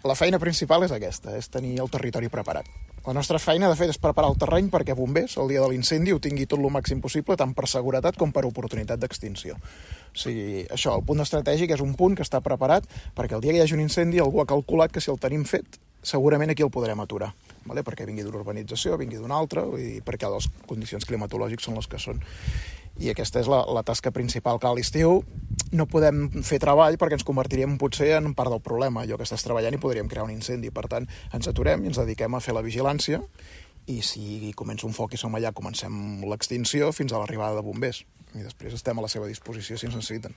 La feina principal és aquesta, és tenir el territori preparat. La nostra feina, de fet, és preparar el terreny perquè bombers, el dia de l'incendi, ho tingui tot el màxim possible, tant per seguretat com per oportunitat d'extinció. O sigui, això, el punt estratègic és un punt que està preparat perquè el dia que hi hagi un incendi algú ha calculat que si el tenim fet, segurament aquí el podrem aturar, vale? Perquè vingui d'una urbanització, vingui d'una altra, i perquè les condicions climatològiques són les que són. I aquesta és la tasca principal, que a l'estiu no podem fer treball perquè ens convertiríem potser en part del problema. Allò que estàs treballant i podríem crear un incendi. Per tant, ens aturem i ens dediquem a fer la vigilància i si comença un foc i som allà, comencem l'extinció fins a l'arribada de bombers. I després estem a la seva disposició si ens necessiten.